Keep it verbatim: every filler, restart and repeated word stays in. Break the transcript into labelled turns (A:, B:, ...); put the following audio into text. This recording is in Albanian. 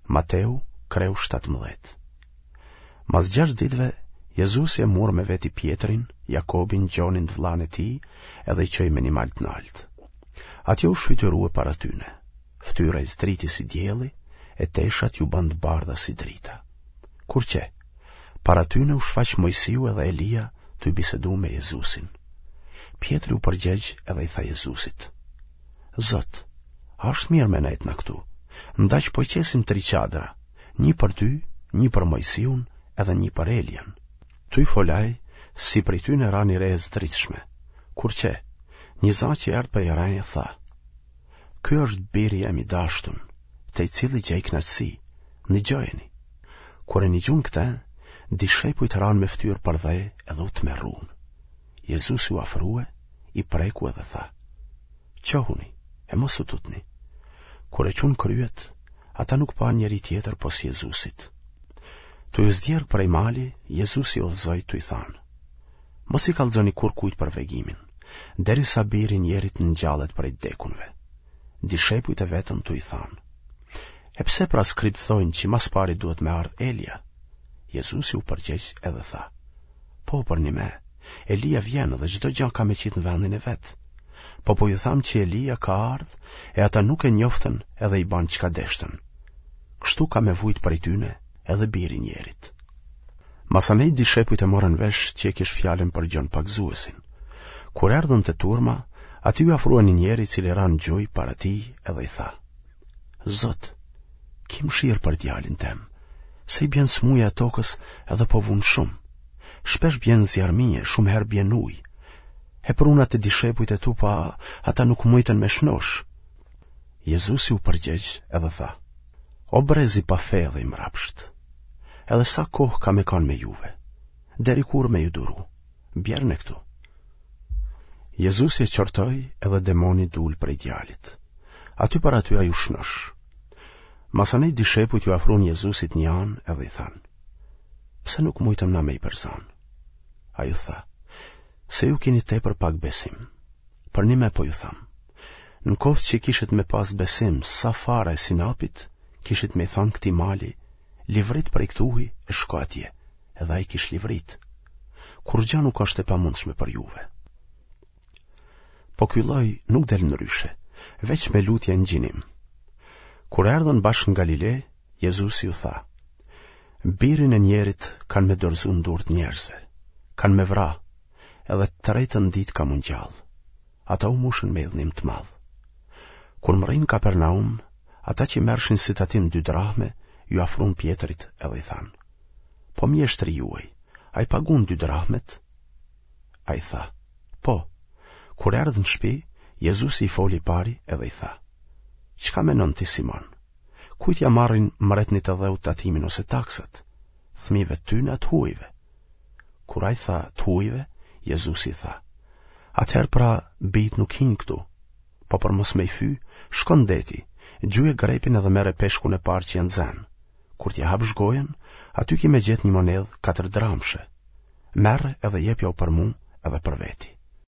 A: Mateu, kreu shtatëmbëdhjetë. Mas gjashtë ditëve, Jezusi e mur me veti Pjetrin, Jakobin, Gjonin të vllanë e tij, edhe i çoi me një mal të naltë. Atje u shfytyrue para tyne. Ftyra i zdriti si dielli, e teshat iu bënë të bardha si drita. Kur qe, para tyne u shfaq Moisiu edhe Elia tuj bisedu me Jezusin. Pjetri u përgjegj edhe i tha Jezusit: Zot, a është mirë me nejtë na këtu? Ndaq po qesim tri çadra, një për ty, një për Moisiun edhe një për Elian. Tuj fol ai, si prej tyne ra një re e zdritshme. Kur qe, një za që erdh prej reje tha: Ky është biri jem i dashtun, te i cili gjej kënaqësi, nigjojeni. Kur e nigjun këtë, dishepujt ranë me fytyrë përdhe edhe u tmerrun. Jezusi u afrue, i preku edhe tha: Çohuni, e mos u tutni. Kur e çunë kryet, ata nuk panë njeri tjetër pos Jezusit. Tuj u zdjerg prej mali, Jezusi i udhëzoi tuj thanë: Mos i kallxoni kurrkujt për vegimin, derisa biri i njerit ngjallet prej t'dekunve. Dishepujt e vetën tuj thanë: E pse pra skribët thojnë që mas pari duhet me ardhë Elia? Jezusi u përgjegj edhe tha: Po, përnime, Elia vjen dhe çdo gja ka me qitë në vendin e vet. Po po ju tham që Elia ka ardhë e ata nuk e njoftën edhe i banë çka deshtën. Kështu ka me vujt prej tyne edhe biri i njerit. Masanej dishepujt e morën vesh që e kish fjalën për Gjon Pagëzuesin. Kur erdhën te turma, aty iu afrua një njeri i cili ra në gjuj para tij edhe i tha: Zot, ki mëshirë për djalin tem, se i bjen smuja e tokës edhe po vun shumë. Shpesh bjen n'zjarrmi e shumë herë bjen n'ujë. E pruna te dishepujt e tu, po ata nuk mujtën me shnosh. Jezusi u përgjegj edhe tha: O brez i pafe dhe i mrapsht, edhe sa kohë kam me kanë me juve, deri kur me ju duru, bjerne këtu. Jezusi e qortoi edhe demoni dul prej djalit. Aty për aty ai u shnosh. Masanej dishepujt iu afrun Jezusit një anë edhe i thanë: Pse nuk mujtëm na me i përzanë? Ai u tha: Se ju kini tepër pak besim. Përnime po ju tham: Në koftë që kishit me pas besim sa fara e sinapit, kishit me i thanë këtij mali, livrit prej këtuhi e shko atje, edhe ai kish livrit. Kurrgja nuk është e pamundshme për juve. Po ky lloj nuk del ndryshe, veç me lutje e ngjinim. Kur erdhën bashkë në Galile, Jezusi u tha: Birin e njerit kanë me dorëzu në durë të njerëzve, kanë me vra, edhe të tretën ditë ka m'u ngjallë. Ata u mushën me idhnim të madh. Kur mrrinë Kapernaum, ata që merrshin si tatim dy drahme, iu afrun Pjetrit edhe i thanë: Po mjeshtri juaj, a i pagun dy drahmet? Ai tha: Po. Kur erdhë në shpi, Jezusi i foli pari edhe i tha: Çka menon ti, Simon? Kujt ja marrin mretnit e dheut tatimin ose taksat? Fëmijëve të tyne a të huajve? Kur ai tha të huajve, Jezusi i tha: Atëherë pra bijtë nuk hinë këtu. Po për mos me i fy, shko në deti, gjuje grepin edhe merre peshkun e parë që e nxen. Kur t'ia hapsh gojën, aty ki me gjetë një monedhë katër dramshe. Merre edhe jepjau për mu edhe për veti.